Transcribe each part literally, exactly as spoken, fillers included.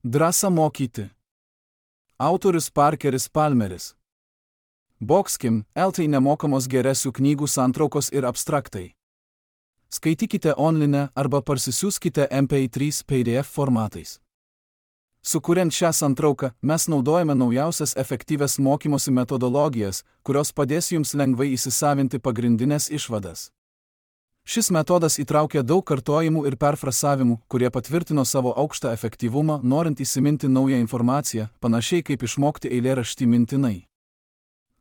Drąsa mokyti. Autorius Parkeris Palmeris. Boxkim, eltai nemokamos geresių knygų santraukos ir abstraktai. Skaitykite online arba parsisiųskite M P trys P D F formatais. Sukuriant šią santrauką, mes naudojame naujausias efektyvias mokymosi metodologijas, kurios padės jums lengvai įsisavinti pagrindinės išvadas. Šis metodas įtraukia daug kartojimų ir perfrasavimų, kurie patvirtino savo aukštą efektyvumą, norint įsiminti naują informaciją, panašiai kaip išmokti eilėraštį mintinai.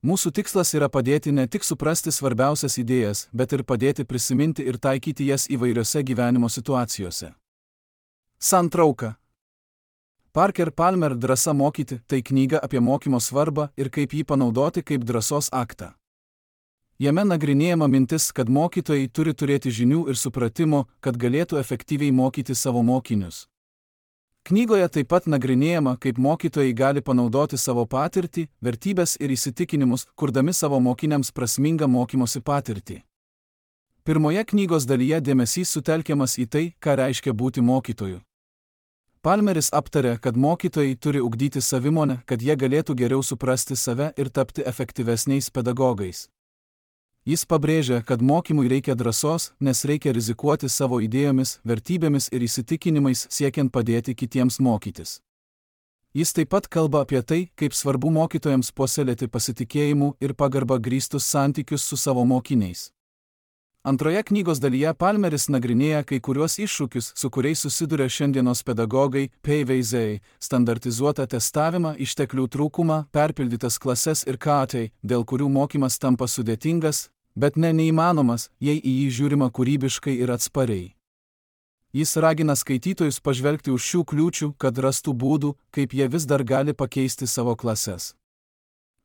Mūsų tikslas yra padėti ne tik suprasti svarbiausias idėjas, bet ir padėti prisiminti ir taikyti jas įvairiose gyvenimo situacijose. Santrauka. Parker Palmer Drąsa mokyti – tai knyga apie mokymo svarbą ir kaip jį panaudoti kaip drąsos aktą. Jame nagrinėjama mintis, kad mokytojai turi turėti žinių ir supratimo, kad galėtų efektyviai mokyti savo mokinius. Knygoje taip pat nagrinėjama, kaip mokytojai gali panaudoti savo patirtį, vertybes ir įsitikinimus, kurdami savo mokiniams prasmingą mokymosi patirtį. Pirmoje knygos dalyje dėmesys sutelkiamas į tai, ką reiškia būti mokytoju. Palmeris aptarė, kad mokytojai turi ugdyti savimonę, kad jie galėtų geriau suprasti save ir tapti efektyvesniais pedagogais. Jis pabrėžia, kad mokymui reikia drąsos, nes reikia rizikuoti savo idėjomis, vertybėmis ir įsitikinimais siekiant padėti kitiems mokytis. Jis taip pat kalba apie tai, kaip svarbu mokytojams puoselėti pasitikėjimų ir pagarbą grįstus santykius su savo mokiniais. Antroje knygos dalyje Palmeris nagrinėja kai kuriuos iššūkius, su kuriais susiduria šiandienos pedagogai, P V Z, standartizuotą testavimą, išteklių trūkumą, perpildytas klases ir katai, dėl kurių mokymas tampa sudėtingas, bet ne neįmanomas, jei į jį žiūrima kūrybiškai ir atspariai. Jis ragina skaitytojus pažvelgti už šių kliūčių, kad rastų būdų, kaip jie vis dar gali pakeisti savo klases.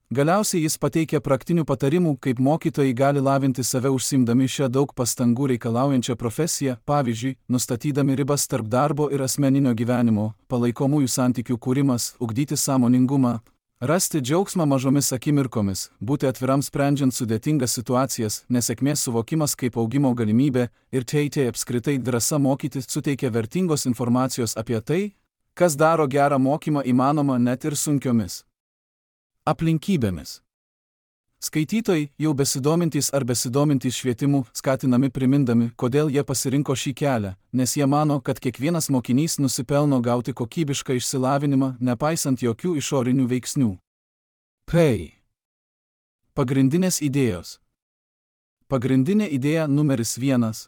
Galiausiai jis pateikia praktinių patarimų, kaip mokytojai gali lavinti save užsiimdami šią daug pastangų reikalaujančią profesiją, pavyzdžiui, nustatydami ribas tarp darbo ir asmeninio gyvenimo, palaikomųjų santykių kūrimas, ugdyti sąmoningumą, rasti džiaugsmą mažomis akimirkomis, būti atviram sprendžiant sudėtingas situacijas, nesėkmės suvokimas kaip augimo galimybė ir teitė apskritai drąsa mokyti suteikia vertingos informacijos apie tai, kas daro gerą mokymą įmanoma net ir sunkiomis aplinkybėmis. Skaitytojai, jau besidomintys ar besidomintys švietimu, skatinami primindami, kodėl jie pasirinko šį kelią, nes jie mano, kad kiekvienas mokinys nusipelno gauti kokybišką išsilavinimą, nepaisant jokių išorinių veiksnių. P. Pagrindinės idėjos. Pagrindinė idėja numeris vienas.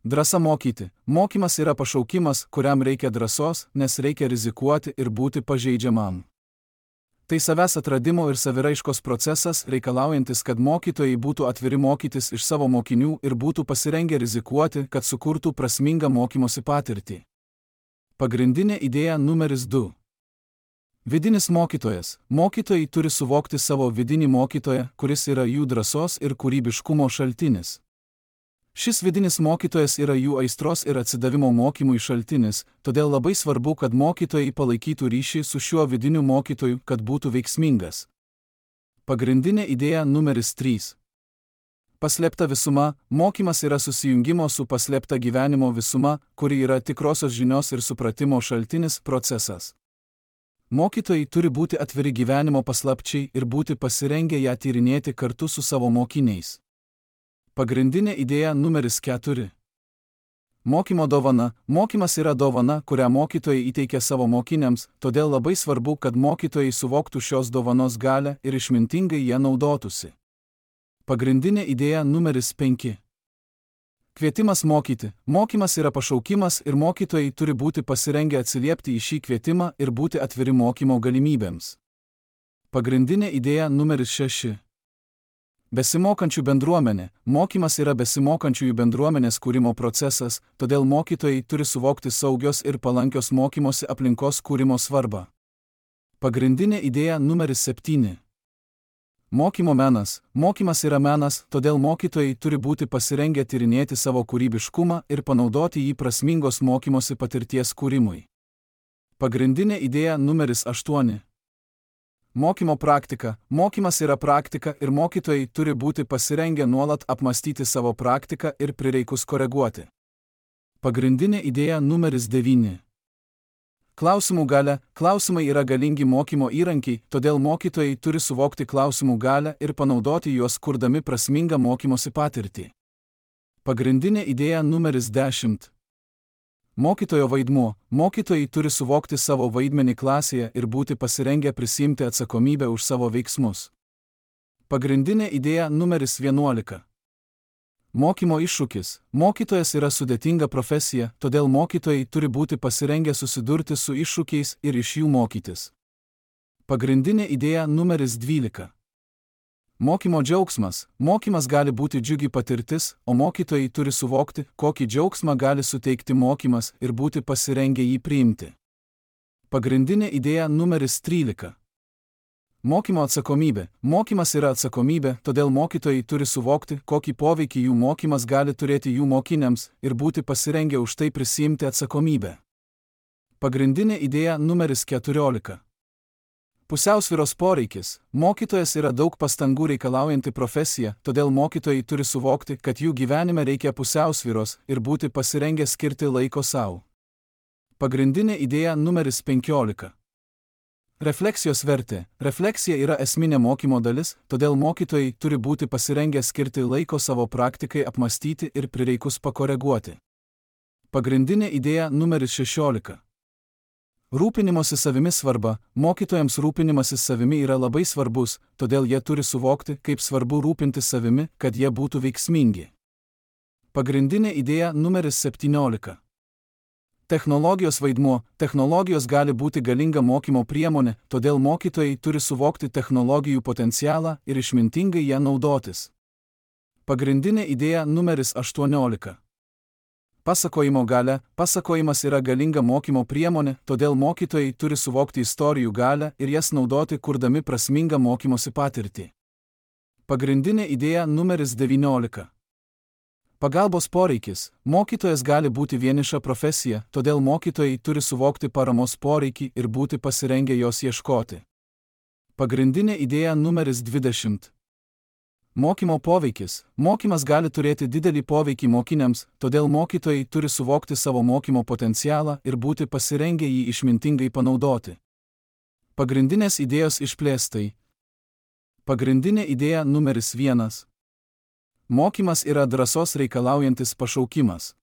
Drąsa mokyti. Mokymas yra pašaukimas, kuriam reikia drąsos, nes reikia rizikuoti ir būti pažeidžiamam. Tai savęs atradimo ir saviraiškos procesas, reikalaujantis, kad mokytojai būtų atviri mokytis iš savo mokinių ir būtų pasirengę rizikuoti, kad sukurtų prasmingą mokymosi patirtį. Pagrindinė idėja numeris du. Vidinis mokytojas. Mokytojai turi suvokti savo vidinį mokytoją, kuris yra jų drąsos ir kūrybiškumo šaltinis. Šis vidinis mokytojas yra jų aistros ir atsidavimo mokymui šaltinis, todėl labai svarbu, kad mokytojai palaikytų ryšį su šiuo vidiniu mokytoju, kad būtų veiksmingas. Pagrindinė idėja numeris trys. Paslėpta visuma. Mokymas yra susijungimo su paslėpta gyvenimo visuma, kuri yra tikrosios žinios ir supratimo šaltinis procesas. Mokytojai turi būti atviri gyvenimo paslapčiai ir būti pasirengę ją tyrinėti kartu su savo mokiniais. Pagrindinė idėja numeris keturi. Mokymo dovana. Mokymas yra dovana, kurią mokytojai įteikia savo mokiniams, todėl labai svarbu, kad mokytojai suvoktų šios dovanos galią ir išmintingai ją naudotųsi. Pagrindinė idėja numeris penki. Kvietimas mokyti. Mokymas yra pašaukimas ir mokytojai turi būti pasirengę atsiliepti į šį kvietimą ir būti atviri mokymo galimybėms. Pagrindinė idėja numeris šeši. Besimokančių bendruomenė. Mokymas yra besimokančiųjų bendruomenės kūrimo procesas, todėl mokytojai turi suvokti saugios ir palankios mokymosi aplinkos kūrimo svarbą. Pagrindinė idėja numeris septyni. Mokymo menas. Mokymas yra menas, todėl mokytojai turi būti pasirengę tyrinėti savo kūrybiškumą ir panaudoti jį prasmingos mokymosi patirties kūrimui. Pagrindinė idėja numeris aštuoni. Mokymo praktika. Mokymas yra praktika ir mokytojai turi būti pasirengę nuolat apmastyti savo praktiką ir prireikus koreguoti. Pagrindinė idėja numeris devyni. Klausimų galia. Klausimai yra galingi mokymo įrankiai, todėl mokytojai turi suvokti klausimų galią ir panaudoti juos kurdami prasmingą mokymosi patirtį. Pagrindinė idėja numeris dešimt. Mokytojo vaidmuo. Mokytojai turi suvokti savo vaidmenį klasėje ir būti pasirengę prisiimti atsakomybę už savo veiksmus. Pagrindinė idėja numeris vienuolika. Mokymo iššūkis. Mokytojas yra sudėtinga profesija, todėl mokytojai turi būti pasirengę susidurti su iššūkiais ir iš jų mokytis. Pagrindinė idėja numeris dvylika. Mokymo džiaugsmas. Mokymas gali būti džiugi patirtis, o mokytojai turi suvokti, kokį džiaugsmą gali suteikti mokymas ir būti pasirengę jį priimti. Pagrindinė idėja numeris trylika. Mokymo atsakomybė. Mokymas yra atsakomybė, todėl mokytojai turi suvokti, kokį poveikį jų mokymas gali turėti jų mokiniams ir būti pasirengę už tai prisiimti atsakomybę. Pagrindinė idėja numeris keturiolika. Pusiausvyros poreikis. Mokytojas yra daug pastangų reikalaujanti profesija, todėl mokytojai turi suvokti, kad jų gyvenime reikia pusiausvyros ir būti pasirengę skirti laiko savo. Pagrindinė idėja numeris penkiolika. Refleksijos vertė. Refleksija yra esminė mokymo dalis, todėl mokytojai turi būti pasirengę skirti laiko savo praktikai apmastyti ir prireikus pakoreguoti. Pagrindinė idėja numeris šešiolika. Rūpinimosi savimi svarba. Mokytojams rūpinimasis savimi yra labai svarbus, todėl jie turi suvokti, kaip svarbu rūpintis savimi, kad jie būtų veiksmingi. Pagrindinė idėja numeris septyniolika. Technologijos vaidmuo. Technologijos gali būti galinga mokymo priemonė, todėl mokytojai turi suvokti technologijų potencialą ir išmintingai ją naudotis. Pagrindinė idėja numeris aštuoniolika. Pasakojimo galia. Pasakojimas yra galinga mokymo priemonė, todėl mokytojai turi suvokti istorijų galią ir jas naudoti kurdami prasmingą mokymosi patirtį. Pagrindinė idėja numeris devyniolika. Pagalbos poreikis. Mokytojas gali būti vieniša profesija, todėl mokytojai turi suvokti paramos poreikį ir būti pasirengę jos ieškoti. Pagrindinė idėja numeris dvidešimt. Mokymo poveikis. Mokymas gali turėti didelį poveikį mokiniams, todėl mokytojai turi suvokti savo mokymo potencialą ir būti pasirengę jį išmintingai panaudoti. Pagrindinės idėjos išplėstai. Pagrindinė idėja numeris vienas. Mokymas yra drąsos reikalaujantis pašaukimas.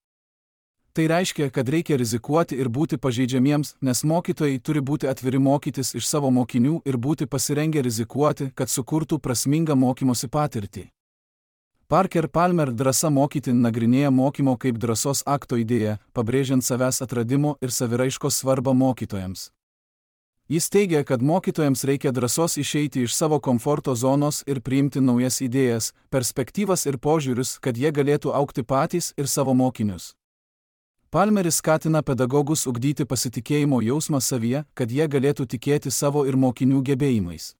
Tai reiškia, kad reikia rizikuoti ir būti pažeidžiamiems, nes mokytojai turi būti atviri mokytis iš savo mokinių ir būti pasirengę rizikuoti, kad sukurtų prasmingą mokymosi patirtį. Parker Palmer drąsa mokyti nagrinėja mokymo kaip drąsos akto idėją, pabrėžiant savęs atradimo ir saviraiškos svarbą mokytojams. Jis teigia, kad mokytojams reikia drąsos išeiti iš savo komforto zonos ir priimti naujas idėjas, perspektyvas ir požiūrius, kad jie galėtų augti patys ir savo mokinius. Palmeris skatina pedagogus ugdyti pasitikėjimo jausmą savyje, kad jie galėtų tikėti savo ir mokinių gebėjimais.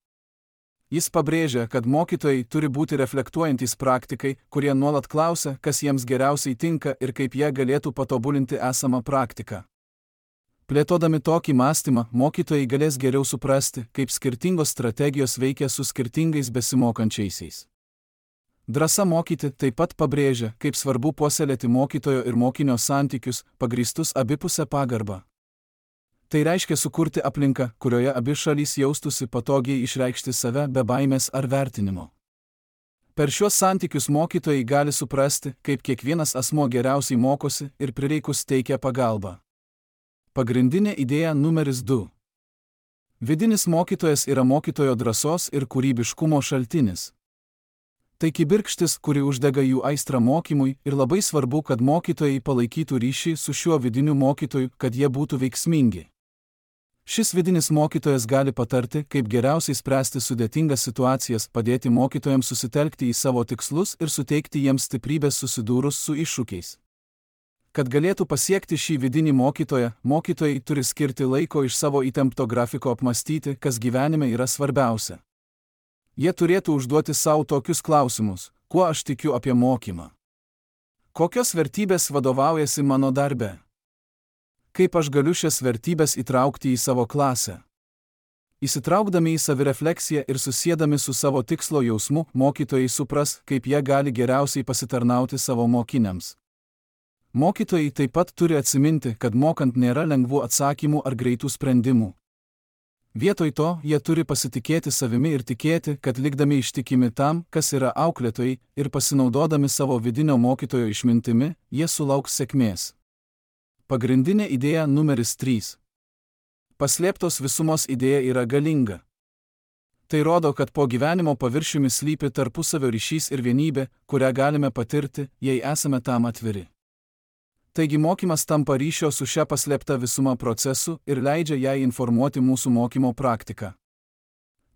Jis pabrėžia, kad mokytojai turi būti reflektuojantys praktikai, kurie nuolat klausia, kas jiems geriausiai tinka ir kaip jie galėtų patobulinti esamą praktiką. Plėtodami tokį mąstymą, mokytojai galės geriau suprasti, kaip skirtingos strategijos veikia su skirtingais besimokančiaisiais. Drąsa mokyti taip pat pabrėžia, kaip svarbu puoselėti mokytojo ir mokinio santykius, pagrįstus abipusę pagarbą. Tai reiškia sukurti aplinką, kurioje abi šalys jaustųsi patogiai išreikšti save be baimės ar vertinimo. Per šiuos santykius mokytojai gali suprasti, kaip kiekvienas asmuo geriausiai mokosi ir prireikus teikia pagalbą. Pagrindinė idėja numeris du. Vidinis mokytojas yra mokytojo drąsos ir kūrybiškumo šaltinis. Tai kibirkštis, kuri uždega jų aistrą mokymui ir labai svarbu, kad mokytojai palaikytų ryšį su šiuo vidiniu mokytoju, kad jie būtų veiksmingi. Šis vidinis mokytojas gali patarti, kaip geriausiai spręsti sudėtingas situacijas, padėti mokytojams susitelkti į savo tikslus ir suteikti jiems stiprybės susidūrus su iššūkiais. Kad galėtų pasiekti šį vidinį mokytoją, mokytojai turi skirti laiko iš savo įtempto grafiko apmastyti, kas gyvenime yra svarbiausia. Jie turėtų užduoti savo tokius klausimus: kuo aš tikiu apie mokymą? Kokios vertybės vadovaujasi mano darbe? Kaip aš galiu šias vertybės įtraukti į savo klasę? Įsitraukdami į savirefleksiją ir susiedami su savo tikslo jausmu, mokytojai supras, kaip jie gali geriausiai pasitarnauti savo mokiniams. Mokytojai taip pat turi atsiminti, kad mokant nėra lengvų atsakymų ar greitų sprendimų. Vietoj to, jie turi pasitikėti savimi ir tikėti, kad likdami ištikimi tam, kas yra auklėtojai, ir pasinaudodami savo vidinio mokytojo išmintimi, jie sulauks sėkmės. Pagrindinė idėja numeris trys. Paslėptos visumos idėja yra galinga. Tai rodo, kad po gyvenimo paviršiumi slypi tarpusavio ryšys ir vienybė, kurią galime patirti, jei esame tam atviri. Taigi mokymas tampa ryšio su šia paslėpta visuma procesu ir leidžia jai informuoti mūsų mokymo praktiką.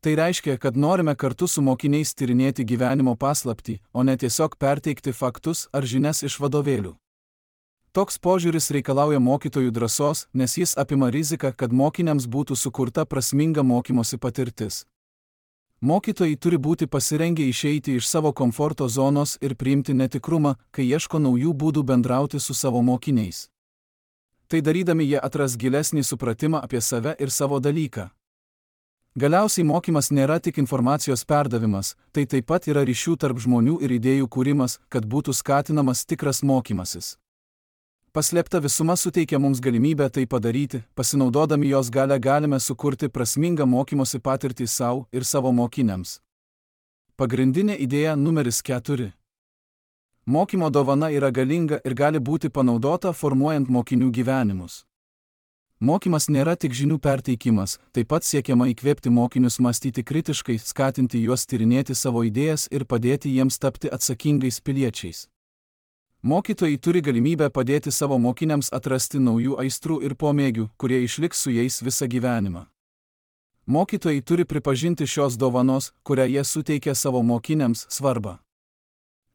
Tai reiškia, kad norime kartu su mokiniais tyrinėti gyvenimo paslaptį, o ne tiesiog perteikti faktus ar žinias iš vadovėlių. Toks požiūris reikalauja mokytojų drąsos, nes jis apima riziką, kad mokiniams būtų sukurta prasminga mokymosi patirtis. Mokytojai turi būti pasirengę išeiti iš savo komforto zonos ir priimti netikrumą, kai ieško naujų būdų bendrauti su savo mokiniais. Tai darydami jie atras gilesnį supratimą apie save ir savo dalyką. Galiausiai mokymas nėra tik informacijos perdavimas, tai taip pat yra ryšių tarp žmonių ir idėjų kūrimas, kad būtų skatinamas tikras mokymasis. Paslėpta visuma suteikia mums galimybę tai padaryti, pasinaudodami jos gale galime sukurti prasmingą mokymosi patirtį savo ir savo mokiniams. Pagrindinė idėja numeris keturi. Mokymo dovana yra galinga ir gali būti panaudota formuojant mokinių gyvenimus. Mokymas nėra tik žinių perteikimas, taip pat siekiama įkvėpti mokinius mąstyti kritiškai, skatinti juos tyrinėti savo idėjas ir padėti jiems tapti atsakingais piliečiais. Mokytojai turi galimybę padėti savo mokiniams atrasti naujų aistrų ir pomėgių, kurie išliks su jais visą gyvenimą. Mokytojai turi pripažinti šios dovanos, kurią jie suteikia savo mokiniams, svarbą.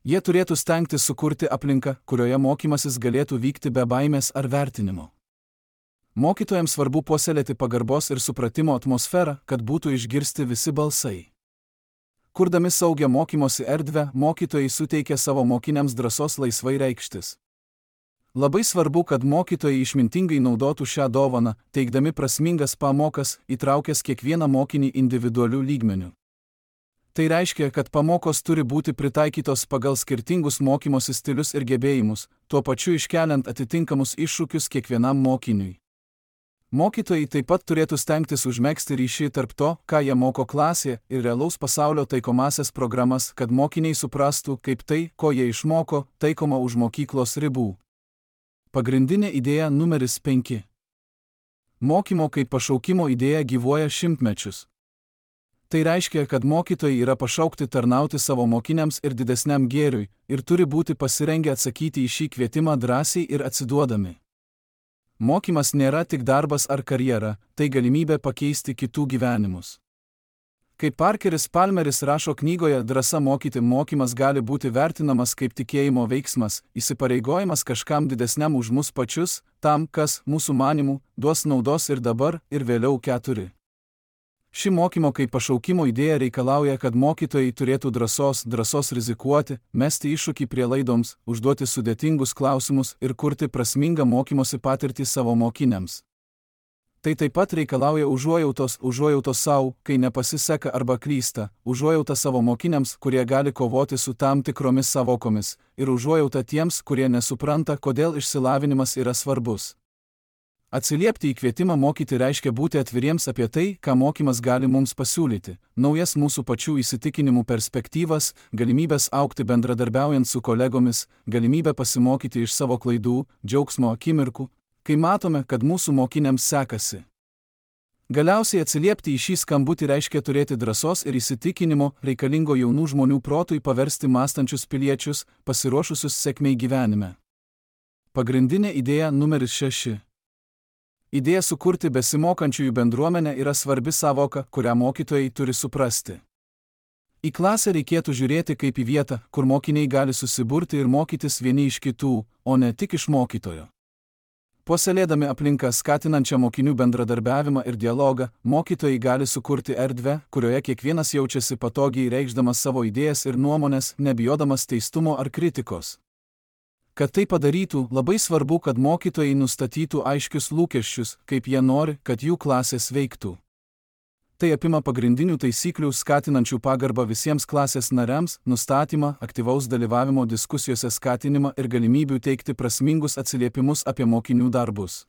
Jie turėtų stengtis sukurti aplinką, kurioje mokymasis galėtų vykti be baimės ar vertinimo. Mokytojams svarbu puoselėti pagarbos ir supratimo atmosferą, kad būtų išgirsti visi balsai. Kurdami saugią mokymosi erdvę, mokytojai suteikia savo mokiniams drąsos laisvai reikštis. Labai svarbu, kad mokytojai išmintingai naudotų šią dovaną, teikdami prasmingas pamokas, įtraukęs kiekvieną mokinį individualių lygmenių. Tai reiškia, kad pamokos turi būti pritaikytos pagal skirtingus mokymosi stilius ir gebėjimus, tuo pačiu iškeliant atitinkamus iššūkius kiekvienam mokiniui. Mokytojai taip pat turėtų stengtis užmegzti ryšį tarp to, ką jie moko klasėje, ir realaus pasaulio taikomasias programas, kad mokiniai suprastų, kaip tai, ko jie išmoko, taikoma už mokyklos ribų. Pagrindinė idėja numeris penki. Mokymo kaip pašaukimo idėja gyvuoja šimtmečius. Tai reiškia, kad mokytojai yra pašaukti tarnauti savo mokiniams ir didesniam gėriui, ir turi būti pasirengę atsakyti į šį kvietimą drąsiai ir atsiduodami. Mokymas nėra tik darbas ar karjera, tai galimybė pakeisti kitų gyvenimus. Kaip Parkeris Palmeris rašo knygoje Drąsa mokyti, mokymas gali būti vertinamas kaip tikėjimo veiksmas, įsipareigojimas kažkam didesniam už mus pačius, tam, kas, mūsų manimų, duos naudos ir dabar, ir vėliau keturi. Ši mokymo kaip pašaukimo idėja reikalauja, kad mokytojai turėtų drąsos, drąsos rizikuoti, mesti iššūkį prielaidoms, užduoti sudėtingus klausimus ir kurti prasmingą mokymosi patirtį savo mokiniams. Tai taip pat reikalauja užuojautos, užuojautos savo, kai nepasiseka arba klysta, užuojauta savo mokiniams, kurie gali kovoti su tam tikromis savokomis, ir užuojauta tiems, kurie nesupranta, kodėl išsilavinimas yra svarbus. Atsiliepti į kvietimą mokyti reiškia būti atviriems apie tai, ką mokymas gali mums pasiūlyti, naujas mūsų pačių įsitikinimų perspektyvas, galimybės augti bendradarbiaujant su kolegomis, galimybę pasimokyti iš savo klaidų, džiaugsmo akimirkų, kai matome, kad mūsų mokiniams sekasi. Galiausiai atsiliepti į šį skambutį reiškia turėti drąsos ir įsitikinimo, reikalingo jaunų žmonių protui paversti mąstančius piliečius, pasiruošusius sėkmei gyvenime. Pagrindinė idėja numeris šeši. Idėja sukurti besimokančiųjų bendruomenę yra svarbi savoka, kurią mokytojai turi suprasti. Į klasę reikėtų žiūrėti kaip į vietą, kur mokiniai gali susiburti ir mokytis vieni iš kitų, o ne tik iš mokytojo. Puoselėdami aplinką skatinančią mokinių bendradarbiavimą ir dialogą, mokytojai gali sukurti erdvę, kurioje kiekvienas jaučiasi patogiai reikšdamas savo idėjas ir nuomonės, nebijodamas teistumo ar kritikos. Kad tai padarytų, labai svarbu, kad mokytojai nustatytų aiškius lūkesčius, kaip jie nori, kad jų klasės veiktų. Tai apima pagrindinių taisyklių skatinančių pagarbą visiems klasės nariams, nustatymą, aktyvaus dalyvavimo diskusijose skatinimą ir galimybių teikti prasmingus atsiliepimus apie mokinių darbus.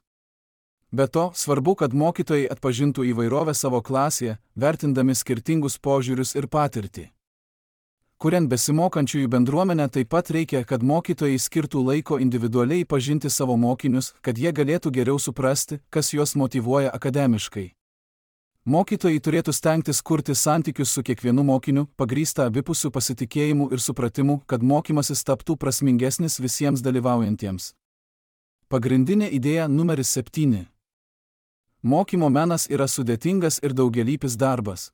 Be to, svarbu, kad mokytojai atpažintų įvairovę savo klasėje, vertindami skirtingus požiūrius ir patirtį. Kuriant besimokančiųjų bendruomenę, taip pat reikia, kad mokytojai skirtų laiko individualiai pažinti savo mokinius, kad jie galėtų geriau suprasti, kas juos motyvuoja akademiškai. Mokytojai turėtų stengtis kurti santykius su kiekvienu mokiniu, pagrįstą abipusių pasitikėjimu ir supratimu, kad mokymasis taptų prasmingesnis visiems dalyvaujantiems. Pagrindinė idėja numeris septyni. Mokymo menas yra sudėtingas ir daugialypis darbas.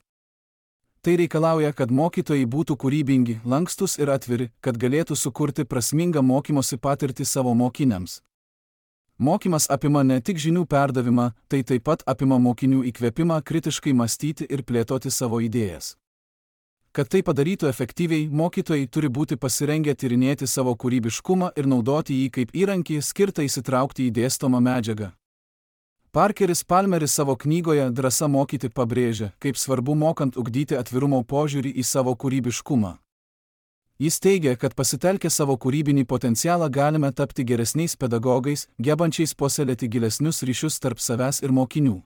Tai reikalauja, kad mokytojai būtų kūrybingi, lankstus ir atviri, kad galėtų sukurti prasmingą mokymosi patirtį savo mokiniams. Mokymas apima ne tik žinių perdavimą, tai taip pat apima mokinių įkvėpimą kritiškai mąstyti ir plėtoti savo idėjas. Kad tai padarytų efektyviai, mokytojai turi būti pasirengę tyrinėti savo kūrybiškumą ir naudoti jį kaip įrankį skirtą įsitraukti į dėstomą medžiagą. Parkeris Palmeris savo knygoje Drąsa mokyti pabrėžia, kaip svarbu mokant ugdyti atvirumo požiūrį į savo kūrybiškumą. Jis teigia, kad pasitelkę savo kūrybinį potencialą galime tapti geresniais pedagogais, gebančiais puoselėti gilesnius ryšius tarp savęs ir mokinių.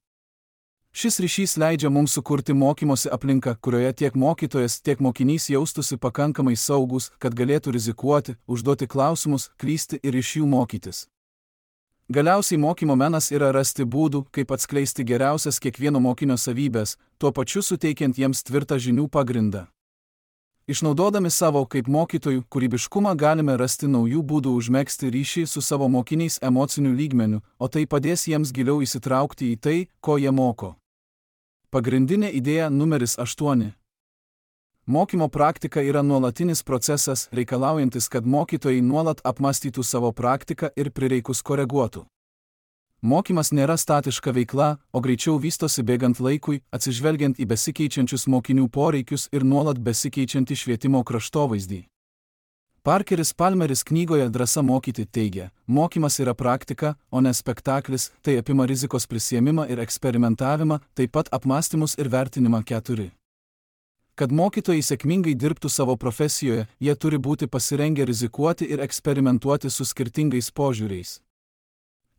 Šis ryšys leidžia mums sukurti mokymosi aplinką, kurioje tiek mokytojas, tiek mokinys jaustųsi pakankamai saugus, kad galėtų rizikuoti, užduoti klausimus, klysti ir iš jų mokytis. Galiausiai mokymo menas yra rasti būdų, kaip atskleisti geriausias kiekvieno mokinio savybės, tuo pačiu suteikiant jiems tvirtą žinių pagrindą. Išnaudodami savo kaip mokytojų kūrybiškumą galime rasti naujų būdų užmegzti ryšį su savo mokiniais emociniu lygmeniu, o tai padės jiems giliau įsitraukti į tai, ko jie moko. Pagrindinė idėja numeris aštuoni. Mokymo praktika yra nuolatinis procesas, reikalaujantis, kad mokytojai nuolat apmąstytų savo praktiką ir prireikus koreguotų. Mokymas nėra statiška veikla, o greičiau vystosi bėgant laikui, atsižvelgiant į besikeičiančius mokinių poreikius ir nuolat besikeičiantį švietimo kraštovaizdį. Parkeris Palmeris knygoje Drąsa mokyti teigia, mokymas yra praktika, o ne spektaklis, tai apima rizikos prisiėmimą ir eksperimentavimą, taip pat apmąstymus ir vertinimą keturi. Kad mokytojai sėkmingai dirbtų savo profesijoje, jie turi būti pasirengę rizikuoti ir eksperimentuoti su skirtingais požiūriais.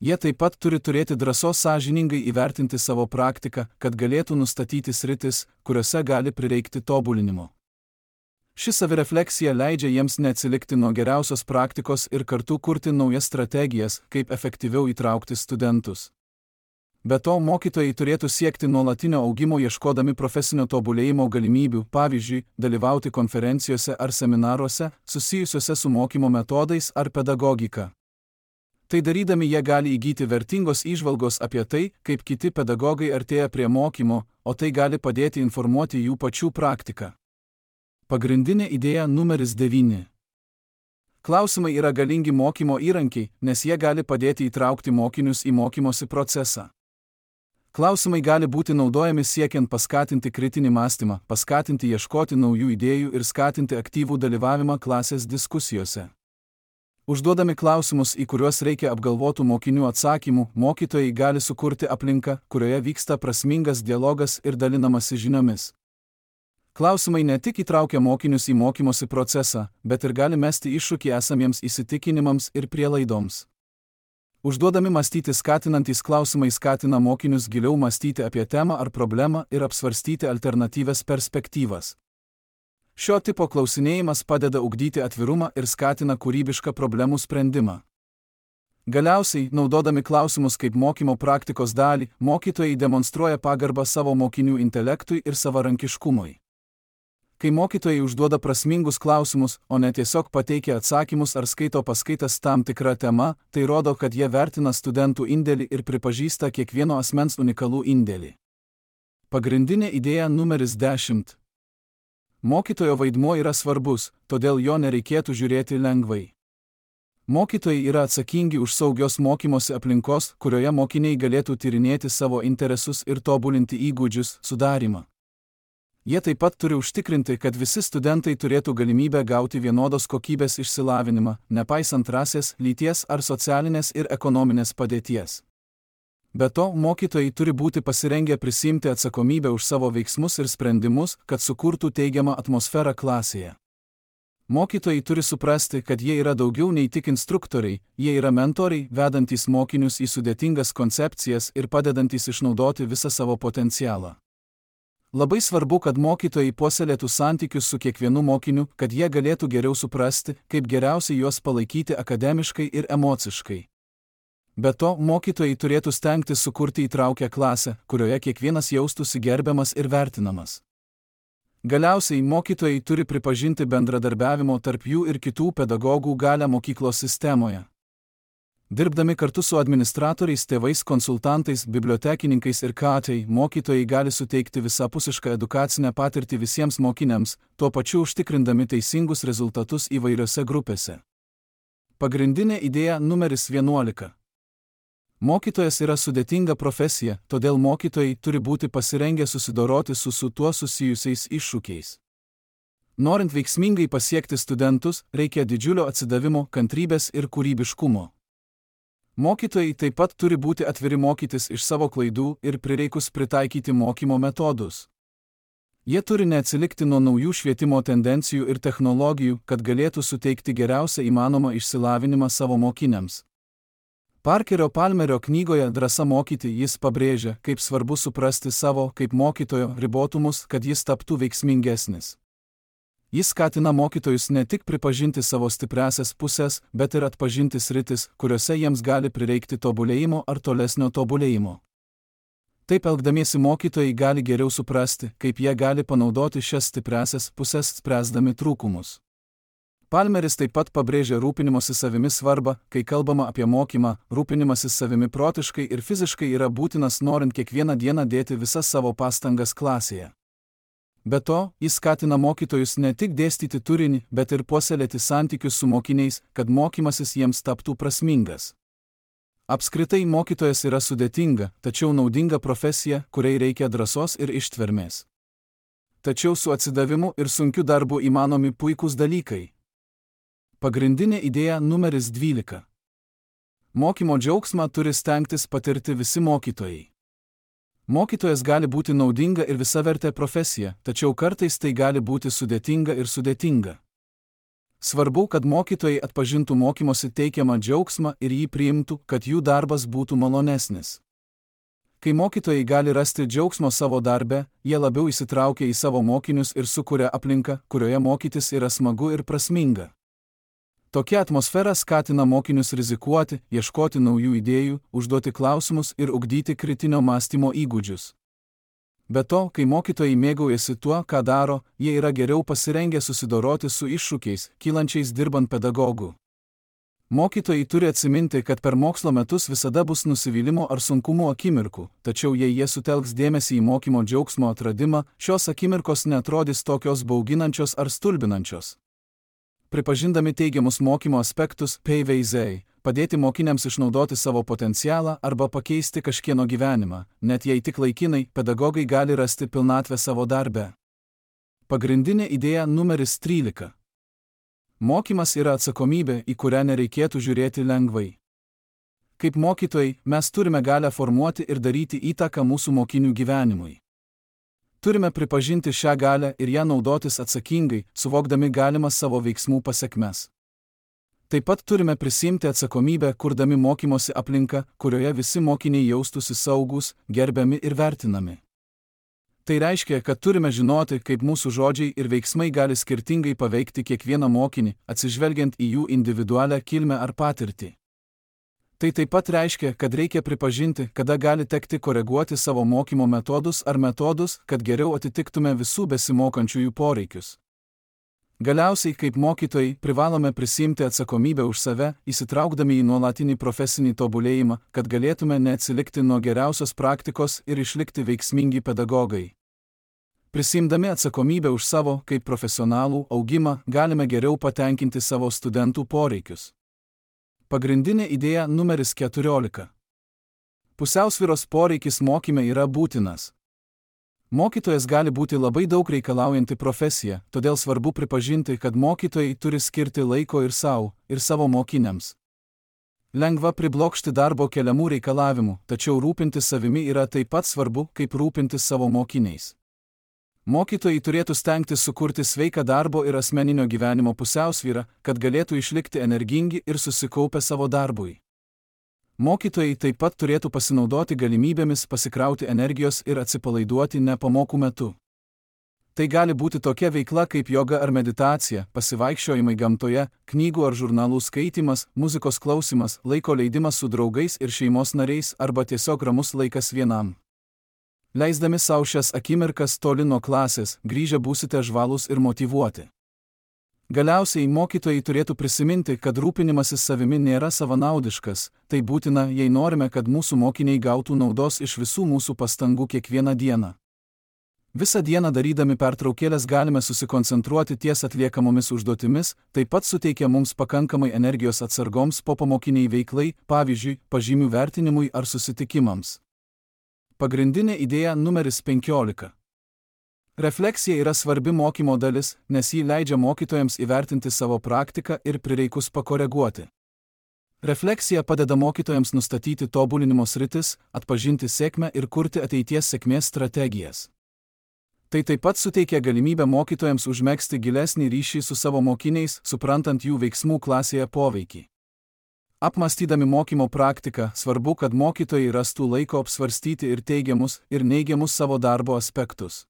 Jie taip pat turi turėti drąsos sąžiningai įvertinti savo praktiką, kad galėtų nustatyti sritis, kuriuose gali prireikti tobulinimo. Ši savirefleksija leidžia jiems neatsilikti nuo geriausios praktikos ir kartu kurti naujas strategijas, kaip efektyviau įtraukti studentus. Be to, mokytojai turėtų siekti nuolatinio augimo ieškodami profesinio tobulėjimo galimybių, pavyzdžiui, dalyvauti konferencijose ar seminaruose, susijusiuose su mokymo metodais ar pedagogika. Tai darydami jie gali įgyti vertingos įžvalgos apie tai, kaip kiti pedagogai artėja prie mokymo, o tai gali padėti informuoti jų pačių praktiką. Pagrindinė idėja numeris devyni. Klausimai yra galingi mokymo įrankiai, nes jie gali padėti įtraukti mokinius į mokymosi procesą. Klausimai gali būti naudojami siekiant paskatinti kritinį mąstymą, paskatinti ieškoti naujų idėjų ir skatinti aktyvų dalyvavimą klasės diskusijose. Užduodami klausimus, į kuriuos reikia apgalvotų mokinių atsakymų, mokytojai gali sukurti aplinką, kurioje vyksta prasmingas dialogas ir dalinamasi žiniomis. Klausimai ne tik įtraukia mokinius į mokymosi procesą, bet ir gali mesti iššūkį esamiems įsitikinimams ir prielaidoms. Užduodami mąstyti skatinantys klausimai skatina mokinius giliau mąstyti apie temą ar problemą ir apsvarstyti alternatyvias perspektyvas. Šio tipo klausinėjimas padeda ugdyti atvirumą ir skatina kūrybišką problemų sprendimą. Galiausiai, naudodami klausimus kaip mokymo praktikos dalį, mokytojai demonstruoja pagarbą savo mokinių intelektui ir savarankiškumui. Kai mokytojai užduoda prasmingus klausimus, o ne tiesiog pateikia atsakymus ar skaito paskaitas tam tikra tema, tai rodo, kad jie vertina studentų indėlį ir pripažįsta kiekvieno asmens unikalų indėlį. Pagrindinė idėja numeris dešimt. Mokytojo vaidmuo yra svarbus, todėl jo nereikėtų žiūrėti lengvai. Mokytojai yra atsakingi už saugios mokymosi aplinkos, kurioje mokiniai galėtų tyrinėti savo interesus ir tobulinti įgūdžius sudarimą. Jie taip pat turi užtikrinti, kad visi studentai turėtų galimybę gauti vienodos kokybės išsilavinimą, nepaisant rasės, lyties ar socialinės ir ekonominės padėties. Be to, mokytojai turi būti pasirengę prisiimti atsakomybę už savo veiksmus ir sprendimus, kad sukurtų teigiamą atmosferą klasėje. Mokytojai turi suprasti, kad jie yra daugiau nei tik instruktoriai, jie yra mentoriai, vedantys mokinius į sudėtingas koncepcijas ir padedantys išnaudoti visą savo potencialą. Labai svarbu, kad mokytojai puoselėtų santykius su kiekvienu mokiniu, kad jie galėtų geriau suprasti, kaip geriausiai juos palaikyti akademiškai ir emociškai. Be to, mokytojai turėtų stengtis sukurti įtraukę klasę, kurioje kiekvienas jaustųsi gerbiamas ir vertinamas. Galiausiai, mokytojai turi pripažinti bendradarbiavimo tarp jų ir kitų pedagogų galią mokyklos sistemoje. Dirbdami kartu su administratoriais, tėvais, konsultantais, bibliotekininkais ir katai, mokytojai gali suteikti visapusišką edukacinę patirtį visiems mokiniams, tuo pačiu užtikrindami teisingus rezultatus įvairiose grupėse. Pagrindinė idėja numeris vienuolika. Mokytojas yra sudėtinga profesija, todėl mokytojai turi būti pasirengę susidoroti su su tuo susijusiais iššūkiais. Norint veiksmingai pasiekti studentus, reikia didžiulio atsidavimo, kantrybės ir kūrybiškumo. Mokytojai taip pat turi būti atviri mokytis iš savo klaidų ir prireikus pritaikyti mokymo metodus. Jie turi neatsilikti nuo naujų švietimo tendencijų ir technologijų, kad galėtų suteikti geriausią įmanomą išsilavinimą savo mokiniams. Parkerio Palmerio knygoje Drąsa mokyti jis pabrėžia, kaip svarbu suprasti savo, kaip mokytojo, ribotumus, kad jis taptų veiksmingesnis. Jis skatina mokytojus ne tik pripažinti savo stipriąsias pusės, bet ir atpažinti sritis, kuriuose jiems gali prireikti tobulėjimo ar tolesnio tobulėjimo. Taip elgdamiesi mokytojai gali geriau suprasti, kaip jie gali panaudoti šias stipriąsias pusės spręsdami trūkumus. Palmeris taip pat pabrėžia rūpinimosi savimi svarbą, kai kalbama apie mokymą, rūpinimasis savimi protiškai ir fiziškai yra būtinas norint kiekvieną dieną dėti visas savo pastangas klasėje. Be to, jis skatina mokytojus ne tik dėstyti turinį, bet ir puoselėti santykius su mokiniais, kad mokymasis jiems taptų prasmingas. Apskritai mokytojas yra sudėtinga, tačiau naudinga profesija, kuriai reikia drąsos ir ištvermės. Tačiau su atsidavimu ir sunkiu darbu įmanomi puikūs dalykai. Pagrindinė idėja numeris dvylika. Mokymo džiaugsmą turi stengtis patirti visi mokytojai. Mokytojas gali būti naudinga ir visavertė profesija, tačiau kartais tai gali būti sudėtinga ir sudėtinga. Svarbu, kad mokytojai atpažintų mokymosi teikiamą džiaugsmą ir jį priimtų, kad jų darbas būtų malonesnis. Kai mokytojai gali rasti džiaugsmo savo darbe, jie labiau įsitraukia į savo mokinius ir sukuria aplinką, kurioje mokytis yra smagu ir prasminga. Tokia atmosfera skatina mokinius rizikuoti, ieškoti naujų idėjų, užduoti klausimus ir ugdyti kritinio mąstymo įgūdžius. Be to, kai mokytojai mėgaujasi tuo, ką daro, jie yra geriau pasirengę susidoroti su iššūkiais, kylančiais dirbant pedagogų. Mokytojai turi atsiminti, kad per mokslo metus visada bus nusivylimo ar sunkumų akimirkų, tačiau jei jie sutelks dėmesį į mokymo džiaugsmo atradimą, šios akimirkos neatrodys tokios bauginančios ar stulbinančios. Pripažindami teigiamus mokymo aspektus, peiveizei, padėti mokiniams išnaudoti savo potencialą arba pakeisti kažkieno gyvenimą, net jei tik laikinai, pedagogai gali rasti pilnatvę savo darbe. Pagrindinė idėja numeris trylika. Mokymas yra atsakomybė, į kurią nereikėtų žiūrėti lengvai. Kaip mokytojai, mes turime galią formuoti ir daryti įtaką mūsų mokinių gyvenimui. Turime pripažinti šią galią ir ją naudotis atsakingai, suvokdami galimas savo veiksmų pasekmes. Taip pat turime prisiimti atsakomybę, kurdami mokymosi aplinką, kurioje visi mokiniai jaustųsi saugūs, gerbiami ir vertinami. Tai reiškia, kad turime žinoti, kaip mūsų žodžiai ir veiksmai gali skirtingai paveikti kiekvieną mokinį, atsižvelgiant į jų individualią kilmę ar patirtį. Tai taip pat reiškia, kad reikia pripažinti, kada gali tekti koreguoti savo mokymo metodus ar metodus, kad geriau atitiktume visų besimokančiųjų poreikius. Galiausiai, kaip mokytojai, privalome prisiimti atsakomybę už save, įsitraukdami į nuolatinį profesinį tobulėjimą, kad galėtume neatsilikti nuo geriausios praktikos ir išlikti veiksmingi pedagogai. Prisimdami atsakomybę už savo, kaip profesionalų, augimą, galime geriau patenkinti savo studentų poreikius. Pagrindinė idėja numeris keturiolika. Pusiausvyros poreikis mokyme yra būtinas. Mokytojas gali būti labai daug reikalaujanti profesija, todėl svarbu pripažinti, kad mokytojai turi skirti laiko ir savo, ir savo mokiniams. Lengva priblokšti darbo keliamų reikalavimų, tačiau rūpintis savimi yra taip pat svarbu, kaip rūpintis savo mokiniais. Mokytojai turėtų stengtis sukurti sveiką darbo ir asmeninio gyvenimo pusiausvyrą, kad galėtų išlikti energingi ir susikaupę savo darbui. Mokytojai taip pat turėtų pasinaudoti galimybėmis pasikrauti energijos ir atsipalaiduoti ne pamokų metu. Tai gali būti tokia veikla kaip joga ar meditacija, pasivaikščiojimai gamtoje, knygų ar žurnalų skaitymas, muzikos klausimas, laiko leidimas su draugais ir šeimos nariais arba tiesiog ramus laikas vienam. Leisdami savo šias akimirkas toli nuo klasės, grįžę būsite žvalūs ir motyvuoti. Galiausiai mokytojai turėtų prisiminti, kad rūpinimasis savimi nėra savanaudiškas, tai būtina, jei norime, kad mūsų mokiniai gautų naudos iš visų mūsų pastangų kiekvieną dieną. Visą dieną darydami pertraukėlės galime susikoncentruoti ties atliekamomis užduotimis, taip pat suteikia mums pakankamai energijos atsargoms popamokiniai veiklai, pavyzdžiui, pažymių vertinimui ar susitikimams. Pagrindinė idėja numeris penkiolika. Refleksija yra svarbi mokymo dalis, nes ji leidžia mokytojams įvertinti savo praktiką ir prireikus pakoreguoti. Refleksija padeda mokytojams nustatyti tobulinimo sritis, atpažinti sėkmę ir kurti ateities sėkmės strategijas. Tai taip pat suteikia galimybę mokytojams užmegzti gilesnį ryšį su savo mokiniais, suprantant jų veiksmų klasėje poveikį. Apmąstydami mokymo praktiką, svarbu, kad mokytojai rastų laiko apsvarstyti ir teigiamus, ir neigiamus savo darbo aspektus.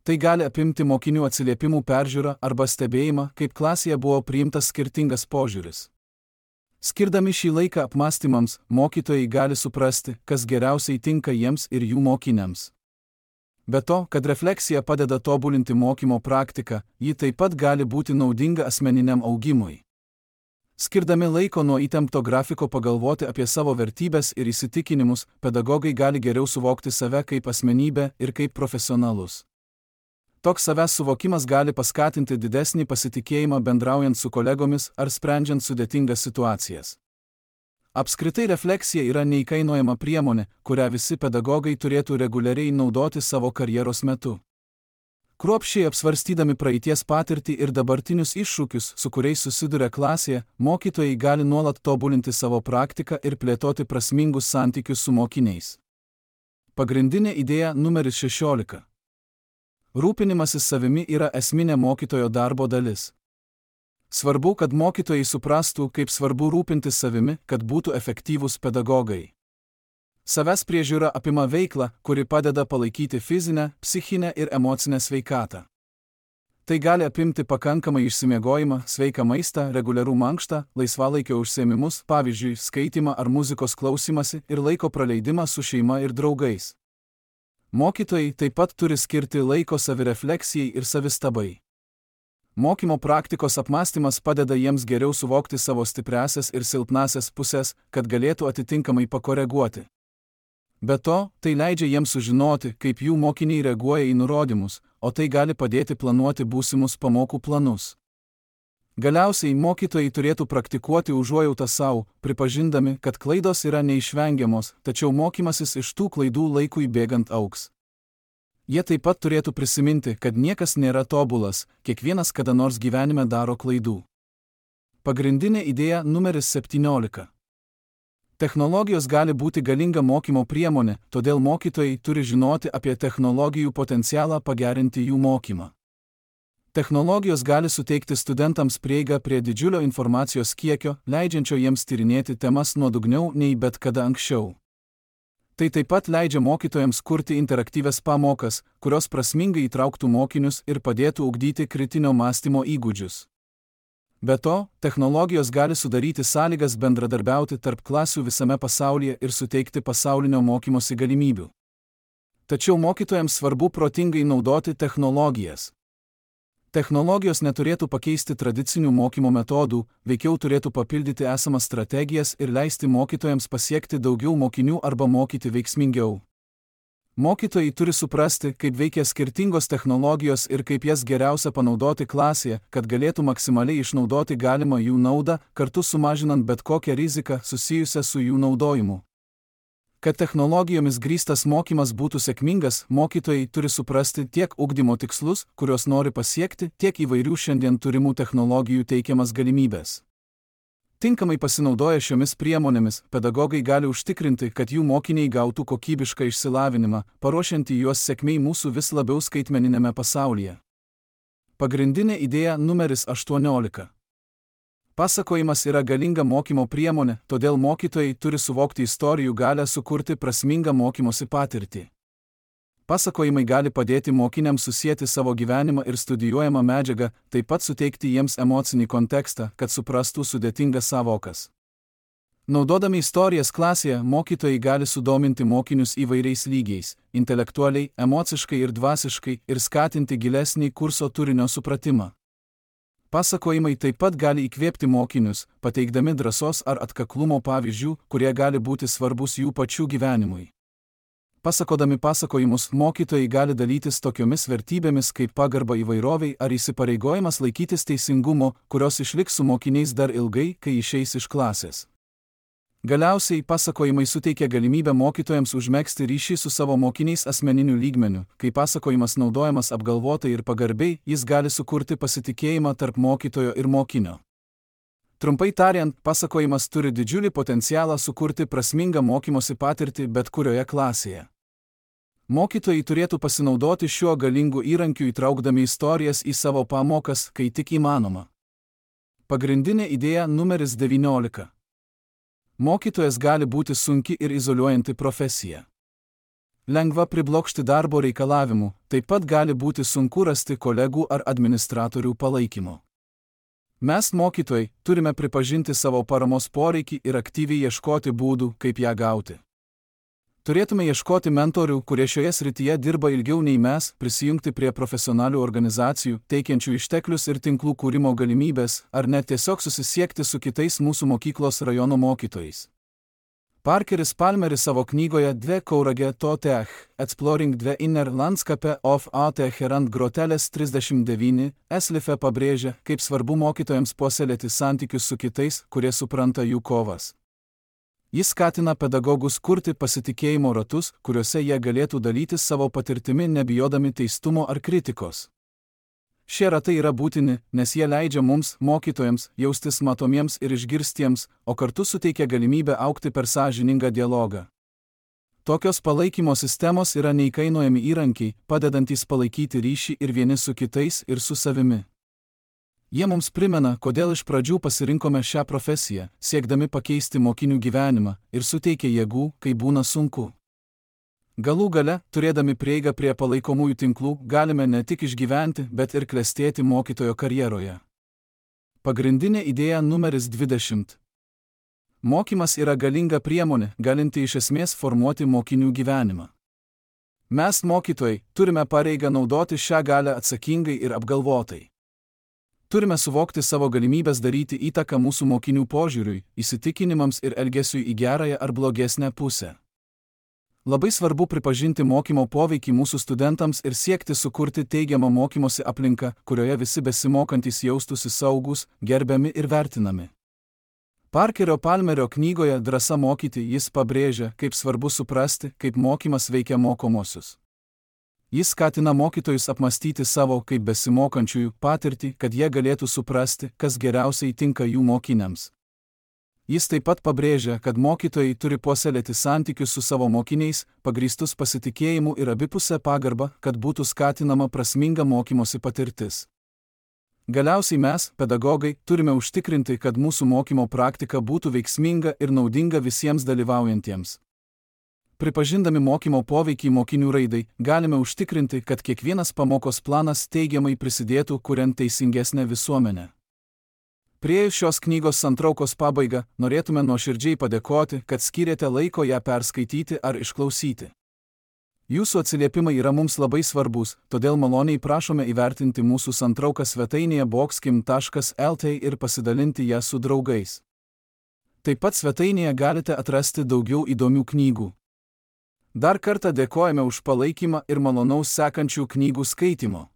Tai gali apimti mokinių atsiliepimų peržiūrą arba stebėjimą, kaip klasėje buvo priimtas skirtingas požiūris. Skirdami šį laiką apmąstymams, mokytojai gali suprasti, kas geriausiai tinka jiems ir jų mokiniams. Be to, kad refleksija padeda tobulinti mokymo praktiką, ji taip pat gali būti naudinga asmeniniam augimui. Skirdami laiko nuo įtempto grafiko pagalvoti apie savo vertybes ir įsitikinimus, pedagogai gali geriau suvokti save kaip asmenybę ir kaip profesionalus. Toks savęs suvokimas gali paskatinti didesnį pasitikėjimą bendraujant su kolegomis ar sprendžiant sudėtingas situacijas. Apskritai refleksija yra neįkainojama priemonė, kurią visi pedagogai turėtų reguliariai naudoti savo karjeros metu. Kruopščiai apsvarstydami praeities patirtį ir dabartinius iššūkius, su kuriais susiduria klasėje, mokytojai gali nuolat tobulinti savo praktiką ir plėtoti prasmingus santykius su mokiniais. Pagrindinė idėja numeris šešiolika. Rūpinimasis savimi yra esminė mokytojo darbo dalis. Svarbu, kad mokytojai suprastų, kaip svarbu rūpintis savimi, kad būtų efektyvūs pedagogai. Savęs priežiūra apima veiklą, kuri padeda palaikyti fizinę, psichinę ir emocinę sveikatą. Tai gali apimti pakankamai išsimiegojimą, sveiką maistą, reguliarų mankštą, laisvalaikio užsiėmimus, pavyzdžiui, skaitymą ar muzikos klausimąsi ir laiko praleidimą su šeima ir draugais. Mokytojai taip pat turi skirti laiko savirefleksijai ir savistabai. Mokymo praktikos apmąstymas padeda jiems geriau suvokti savo stipriąsias ir silpnąsias pusės, kad galėtų atitinkamai pakoreguoti. Be to, tai leidžia jiems sužinoti, kaip jų mokiniai reaguoja į nurodymus, o tai gali padėti planuoti būsimus pamokų planus. Galiausiai mokytojai turėtų praktikuoti užuojautą savo, pripažindami, kad klaidos yra neišvengiamos, tačiau mokymasis iš tų klaidų laikui bėgant augs. Jie taip pat turėtų prisiminti, kad niekas nėra tobulas, kiekvienas kada nors gyvenime daro klaidų. Pagrindinė idėja numeris septyniolika. Technologijos gali būti galinga mokymo priemonė, todėl mokytojai turi žinoti apie technologijų potencialą pagerinti jų mokymą. Technologijos gali suteikti studentams prieigą prie didžiulio informacijos kiekio, leidžiančio jiems tyrinėti temas nuodugniau nei bet kada anksčiau. Tai taip pat leidžia mokytojams kurti interaktyvias pamokas, kurios prasmingai įtrauktų mokinius ir padėtų ugdyti kritinio mąstymo įgūdžius. Be to, technologijos gali sudaryti sąlygas bendradarbiauti tarp klasių visame pasaulyje ir suteikti pasaulinio mokymosi galimybių. Tačiau mokytojams svarbu protingai naudoti technologijas. Technologijos neturėtų pakeisti tradicinių mokymo metodų, veikiau turėtų papildyti esamas strategijas ir leisti mokytojams pasiekti daugiau mokinių arba mokyti veiksmingiau. Mokytojai turi suprasti, kaip veikia skirtingos technologijos ir kaip jas geriausia panaudoti klasėje, kad galėtų maksimaliai išnaudoti galimą jų naudą, kartu sumažinant bet kokią riziką susijusią su jų naudojimu. Kad technologijomis grįstas mokymas būtų sėkmingas, mokytojai turi suprasti tiek ugdymo tikslus, kuriuos nori pasiekti, tiek įvairių šiandien turimų technologijų teikiamas galimybės. Tinkamai pasinaudoję šiomis priemonėmis, pedagogai gali užtikrinti, kad jų mokiniai gautų kokybišką išsilavinimą, paruošiantį juos sėkmei mūsų vis labiau skaitmeninėme pasaulyje. Pagrindinė idėja numeris aštuoniolika. Pasakojimas yra galinga mokymo priemonė, todėl mokytojai turi suvokti istorijų galią sukurti prasmingą mokymosi patirtį. Pasakojimai gali padėti mokiniams susieti savo gyvenimą ir studijuojamą medžiagą, taip pat suteikti jiems emocinį kontekstą, kad suprastų sudėtingas sąvokas. Naudodami istorijas klasėje, mokytojai gali sudominti mokinius įvairiais lygiais – intelektualiai, emociškai ir dvasiškai – ir skatinti gilesnį kurso turinio supratimą. Pasakojimai taip pat gali įkvėpti mokinius, pateikdami drąsos ar atkaklumo pavyzdžių, kurie gali būti svarbus jų pačių gyvenimui. Pasakodami pasakojimus, mokytojai gali dalytis tokiomis vertybėmis kaip pagarba įvairoviai ar įsipareigojimas laikytis teisingumo, kurios išliks su mokiniais dar ilgai, kai išeis iš klasės. Galiausiai, pasakojimai suteikia galimybę mokytojams užmegzti ryšį su savo mokiniais asmeniniu lygmeniu. Kai pasakojimas naudojamas apgalvotai ir pagarbiai, jis gali sukurti pasitikėjimą tarp mokytojo ir mokinio. Trumpai tariant, pasakojimas turi didžiulį potencialą sukurti prasmingą mokymosi patirtį bet kurioje klasėje. Mokytojai turėtų pasinaudoti šiuo galingu įrankiu įtraukdami istorijas į savo pamokas, kai tik įmanoma. Pagrindinė idėja numeris devyniolika. Mokytojas gali būti sunki ir izoliuojanti profesija. Lengva priblokšti darbo reikalavimų, taip pat gali būti sunku rasti kolegų ar administratorių palaikymo. Mes, mokytojai, turime pripažinti savo paramos poreikį ir aktyviai ieškoti būdų, kaip ją gauti. Turėtume ieškoti mentorių, kurie šioje srityje dirba ilgiau nei mes, prisijungti prie profesionalių organizacijų, teikiančių išteklius ir tinklų kūrimo galimybės, ar net tiesiog susisiekti su kitais mūsų mokyklos rajono mokytojais. Parkeris Palmeris savo knygoje Dve Kaurage Totech, Exploring the Inner Landscape of A Teherant Groteles trisdešimt devyni, Eslife pabrėžia, kaip svarbu mokytojams puoselėti santykius su kitais, kurie supranta jų kovas. Jis skatina pedagogus kurti pasitikėjimo ratus, kuriuose jie galėtų dalytis savo patirtimi nebijodami teistumo ar kritikos. Šie ratai yra būtini, nes jie leidžia mums, mokytojams, jaustis matomiems ir išgirstiems, o kartu suteikia galimybę augti per sąžiningą dialogą. Tokios palaikymo sistemos yra neįkainojami įrankiai, padedantys palaikyti ryšį ir vieni su kitais ir su savimi. Jie mums primena, kodėl iš pradžių pasirinkome šią profesiją, siekdami pakeisti mokinių gyvenimą, ir suteikia jėgų, kai būna sunku. Galų gale, turėdami prieigą prie palaikomųjų tinklų, galime ne tik išgyventi, bet ir klestėti mokytojo karjeroje. Pagrindinė idėja numeris dvidešimt. Mokymas yra galinga priemonė, galinti iš esmės formuoti mokinių gyvenimą. Mes, mokytojai, turime pareigą naudoti šią galią atsakingai ir apgalvotai. Turime suvokti savo galimybės daryti įtaką mūsų mokinių požiūriui, įsitikinimams ir elgesiui į gerąją ar blogesnę pusę. Labai svarbu pripažinti mokymo poveikį mūsų studentams ir siekti sukurti teigiamą mokymosi aplinką, kurioje visi besimokantys jaustųsi saugūs, gerbiami ir vertinami. Parkerio Palmerio knygoje Drąsa mokyti jis pabrėžia, kaip svarbu suprasti, kaip mokymas veikia mokomosius. Jis skatina mokytojus apmastyti savo kaip besimokančiųjų patirtį, kad jie galėtų suprasti, kas geriausiai tinka jų mokiniams. Jis taip pat pabrėžia, kad mokytojai turi puoselėti santykius su savo mokiniais, pagrįstus pasitikėjimu ir abipusę pagarbą, kad būtų skatinama prasminga mokymosi patirtis. Galiausiai mes, pedagogai, turime užtikrinti, kad mūsų mokymo praktika būtų veiksminga ir naudinga visiems dalyvaujantiems. Pripažindami mokymo poveikį mokinių raidai, galime užtikrinti, kad kiekvienas pamokos planas teigiamai prisidėtų kuriant teisingesnę visuomenę. Priėjus šios knygos santraukos pabaigą, norėtume nuoširdžiai padėkoti, kad skyrėte laiko ją perskaityti ar išklausyti. Jūsų atsiliepimai yra mums labai svarbus, todėl maloniai prašome įvertinti mūsų santrauką svetainėje boxkim taškas lt ir pasidalinti ją su draugais. Taip pat svetainėje galite atrasti daugiau įdomių knygų. Dar kartą dėkojame už palaikymą ir malonaus sekančių knygų skaitimo.